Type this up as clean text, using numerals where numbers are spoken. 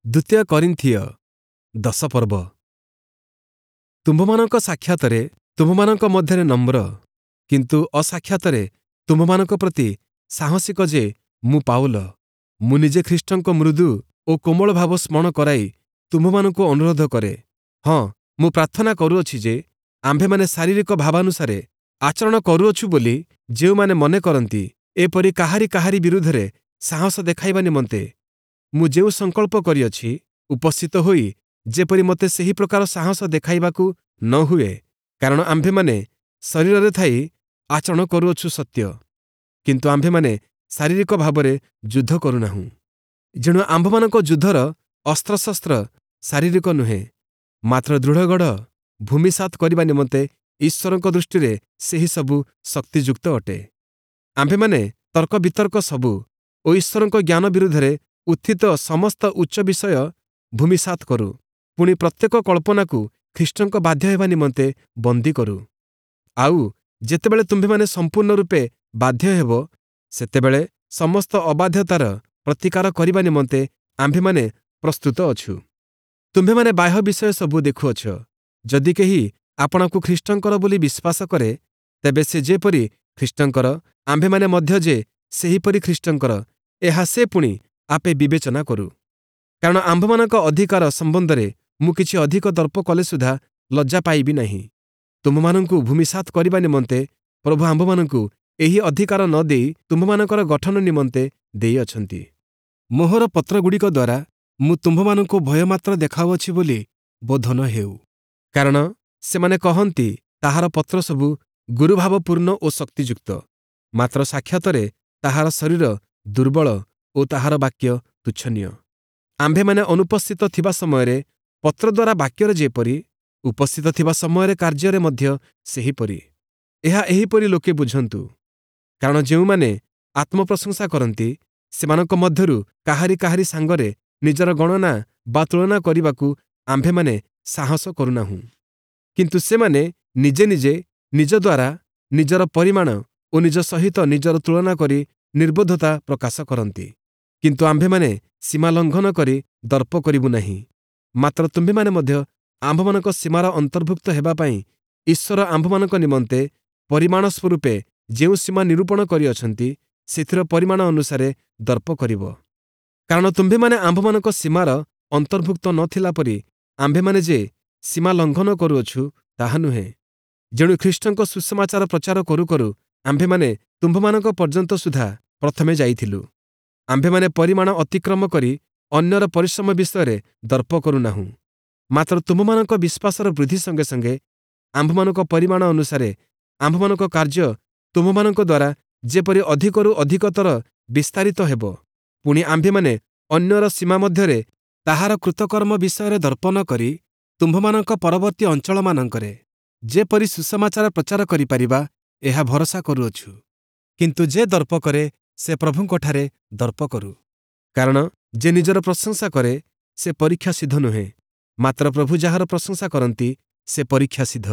ଦ୍ୱିତୀୟ କରିନ୍ଥୀୟ 10 ପର୍ବ। ତୁମ୍ଭମାନଙ୍କ ସାକ୍ଷାତରେ ତୁମ୍ଭମାନଙ୍କ ମଧ୍ୟରେ ନମ୍ର, କିନ୍ତୁ ଅସାକ୍ଷାତରେ ତୁମ୍ଭମାନଙ୍କ ପ୍ରତି ସାହସିକ ଯେ ମୁଁ ପାଉଲ, ମୁଁ ନିଜେ ଖ୍ରୀଷ୍ଟଙ୍କ ମୃଦୁ ଓ କୋମଳ ଭାବ ସ୍ମରଣ କରାଇ ତୁମ୍ଭମାନଙ୍କୁ ଅନୁରୋଧ କରେ। ହଁ, ମୁଁ ପ୍ରାର୍ଥନା କରୁଅଛି ଯେ ଆମ୍ଭେମାନେ ଶାରୀରିକ ଭାବାନୁସାରେ ଆଚରଣ କରୁଅଛୁ ବୋଲି ଯେଉଁମାନେ ମନେ କରନ୍ତି, ଏପରି କାହାରି କାହାରି ବିରୁଦ୍ଧରେ ସାହସ ଦେଖାଇବା ନିମନ୍ତେ ମୁଁ ଯେଉଁ ସଂକଳ୍ପ କରିଅଛି, ଉପସ୍ଥିତ ହୋଇ ଯେପରି ମୋତେ ସେହି ପ୍ରକାର ସାହସ ଦେଖାଇବାକୁ ନ ହୁଏ। କାରଣ ଆମ୍ଭେମାନେ ଶରୀରରେ ଥାଇ ଆଚରଣ କରୁଅଛୁ ସତ୍ୟ, କିନ୍ତୁ ଆମ୍ଭେମାନେ ଶାରୀରିକ ଭାବରେ ଯୁଦ୍ଧ କରୁନାହୁଁ। ଯେଣୁ ଆମ୍ଭମାନଙ୍କ ଯୁଦ୍ଧର ଅସ୍ତ୍ରଶସ୍ତ୍ର ଶାରୀରିକ ନୁହେଁ, ମାତ୍ର ଦୃଢ଼ଗଢ଼ ଭୂମିସାତ୍ କରିବା ନିମନ୍ତେ ଈଶ୍ୱରଙ୍କ ଦୃଷ୍ଟିରେ ସେହି ସବୁ ଶକ୍ତିଯୁକ୍ତ ଅଟେ। ଆମ୍ଭେମାନେ ତର୍କ ବିତର୍କ ସବୁ ଓ ଈଶ୍ୱରଙ୍କ ଜ୍ଞାନ ବିରୁଦ୍ଧରେ ଉତ୍ଥିତ ସମସ୍ତ ଉଚ୍ଚ ବିଷୟ ଭୂମିସାତ୍ କରୁ, ପୁଣି ପ୍ରତ୍ୟେକ କଳ୍ପନାକୁ ଖ୍ରୀଷ୍ଟଙ୍କ ବାଧ୍ୟ ହେବା ନିମନ୍ତେ ବନ୍ଦୀ କରୁ। ଆଉ ଯେତେବେଳେ ତୁମ୍ଭେମାନେ ସମ୍ପୂର୍ଣ୍ଣ ରୂପେ ବାଧ୍ୟ ହେବ, ସେତେବେଳେ ସମସ୍ତ ଅବାଧ୍ୟତାର ପ୍ରତିକାର କରିବା ନିମନ୍ତେ ଆମ୍ଭେମାନେ ପ୍ରସ୍ତୁତ ଅଛୁ। ତୁମ୍ଭେମାନେ ବାହ୍ୟ ବିଷୟ ସବୁ ଦେଖୁଅଛ। ଯଦି କେହି ଆପଣାକୁ ଖ୍ରୀଷ୍ଟଙ୍କର ବୋଲି ବିଶ୍ୱାସ କରେ, ତେବେ ସେ ଯେପରି ଖ୍ରୀଷ୍ଟଙ୍କର, ଆମ୍ଭେମାନେ ମଧ୍ୟ ଯେ ସେହିପରି ଖ୍ରୀଷ୍ଟଙ୍କର, ଏହା ସେ ପୁଣି ଆପେ ବିବେଚନା କରୁ। କାରଣ ଆମ୍ଭମାନଙ୍କ ଅଧିକାର ସମ୍ବନ୍ଧରେ ମୁଁ କିଛି ଅଧିକ ଦର୍ପ କଲେ ସୁଦ୍ଧା ଲଜ୍ଜା ପାଇବି ନାହିଁ। ତୁମ୍ଭମାନଙ୍କୁ ଭୂମିସାତ୍ କରିବା ନିମନ୍ତେ ପ୍ରଭୁ ଆମ୍ଭମାନଙ୍କୁ ଏହି ଅଧିକାର ନ ଦେଇ ତୁମ୍ଭମାନଙ୍କର ଗଠନ ନିମନ୍ତେ ଦେଇଅଛନ୍ତି। ମୋହର ପତ୍ରଗୁଡ଼ିକ ଦ୍ୱାରା ମୁଁ ତୁମ୍ଭମାନଙ୍କୁ ଭୟମାତ୍ର ଦେଖାଉଅଛି ବୋଲି ବୋଧ ନ ହେଉ। କାରଣ ସେମାନେ କହନ୍ତି, ତାହାର ପତ୍ର ସବୁ ଗୁରୁଭାବପୂର୍ଣ୍ଣ ଓ ଶକ୍ତିଯୁକ୍ତ, ମାତ୍ର ସାକ୍ଷାତରେ ତାହାର ଶରୀର ଦୁର୍ବଳ ଓ ତାହାର ବାକ୍ୟ ତୁଚ୍ଛନୀୟ। ଆମ୍ଭେମାନେ ଅନୁପସ୍ଥିତ ଥିବା ସମୟରେ ପତ୍ର ଦ୍ୱାରା ବାକ୍ୟରେ ଯେପରି, ଉପସ୍ଥିତ ଥିବା ସମୟରେ କାର୍ଯ୍ୟରେ ମଧ୍ୟ ସେହିପରି, ଏହା ଏହିପରି ଲୋକେ ବୁଝନ୍ତୁ। କାରଣ ଯେଉଁମାନେ ଆତ୍ମପ୍ରଶଂସା କରନ୍ତି, ସେମାନଙ୍କ ମଧ୍ୟରୁ କାହାରି କାହାରି ସାଙ୍ଗରେ ନିଜର ଗଣନା ବା ତୁଳନା କରିବାକୁ ଆମ୍ଭେମାନେ ସାହସ କରୁନାହୁଁ। କିନ୍ତୁ ସେମାନେ ନିଜେ ନିଜେ ନିଜ ଦ୍ୱାରା ନିଜର ପରିମାଣ ଓ ନିଜ ସହିତ ନିଜର ତୁଳନା କରି ନିର୍ବୋଧତା ପ୍ରକାଶ କରନ୍ତି। କିନ୍ତୁ ଆମ୍ଭେମାନେ ସୀମା ଲଙ୍ଘନ କରି ଦର୍ପ କରିବୁ ନାହିଁ, ମାତ୍ର ତୁମ୍ଭେମାନେ ମଧ୍ୟ ଆମ୍ଭମାନଙ୍କ ସୀମାର ଅନ୍ତର୍ଭୁକ୍ତ ହେବା ପାଇଁ ଈଶ୍ୱର ଆମ୍ଭମାନଙ୍କ ନିମନ୍ତେ ପରିମାଣ ସ୍ୱରୂପେ ଯେଉଁ ସୀମା ନିରୂପଣ କରିଅଛନ୍ତି, ସେଥିର ପରିମାଣ ଅନୁସାରେ ଦର୍ପ କରିବ। କାରଣ ତୁମ୍ଭେମାନେ ଆମ୍ଭମାନଙ୍କ ସୀମାର ଅନ୍ତର୍ଭୁକ୍ତ ନଥିଲା ପରି ଆମ୍ଭେମାନେ ଯେ ସୀମା ଲଙ୍ଘନ କରୁଅଛୁ, ତାହା ନୁହେଁ। ଯେଣୁ ଖ୍ରୀଷ୍ଟଙ୍କ ସୁସମାଚାର ପ୍ରଚାର କରୁ କରୁ ଆମ୍ଭେମାନେ ତୁମ୍ଭମାନଙ୍କ ପର୍ଯ୍ୟନ୍ତ ସୁଦ୍ଧା ପ୍ରଥମେ ଯାଇଥିଲୁ। ଆମ୍ଭେମାନେ ପରିମାଣ ଅତିକ୍ରମ କରି ଅନ୍ୟର ପରିଶ୍ରମ ବିଷୟରେ ଦର୍ପ କରୁନାହୁଁ, ମାତ୍ର ତୁମ୍ଭମାନଙ୍କ ବିଶ୍ୱାସର ବୃଦ୍ଧି ସଙ୍ଗେ ସଙ୍ଗେ ଆମ୍ଭମାନଙ୍କ ପରିମାଣ ଅନୁସାରେ ଆମ୍ଭମାନଙ୍କ କାର୍ଯ୍ୟ ତୁମ୍ଭମାନଙ୍କ ଦ୍ୱାରା ଯେପରି ଅଧିକରୁ ଅଧିକତର ବିସ୍ତାରିତ ହେବ। ପୁଣି ଆମ୍ଭେମାନେ ଅନ୍ୟର ସୀମା ମଧ୍ୟରେ ତାହାର କୃତକର୍ମ ବିଷୟରେ ଦର୍ପ ନ କରି ତୁମ୍ଭମାନଙ୍କ ପରବର୍ତ୍ତୀ ଅଞ୍ଚଳମାନଙ୍କରେ ଯେପରି ସୁସମାଚାର ପ୍ରଚାର କରିପାରିବା, ଏହା ଭରସା କରୁଅଛୁ। କିନ୍ତୁ ଯେ ଦର୍ପ କରେ, ସେ ପ୍ରଭୁଙ୍କଠାରେ ଦର୍ପ କରୁ। କାରଣ ଯେ ନିଜର ପ୍ରଶଂସା କରେ, ସେ ପରୀକ୍ଷା ସିଦ୍ଧ ନୁହେଁ, ମାତ୍ର ପ୍ରଭୁ ଯାହାର ପ୍ରଶଂସା କରନ୍ତି, ସେ ପରୀକ୍ଷା ସିଦ୍ଧ।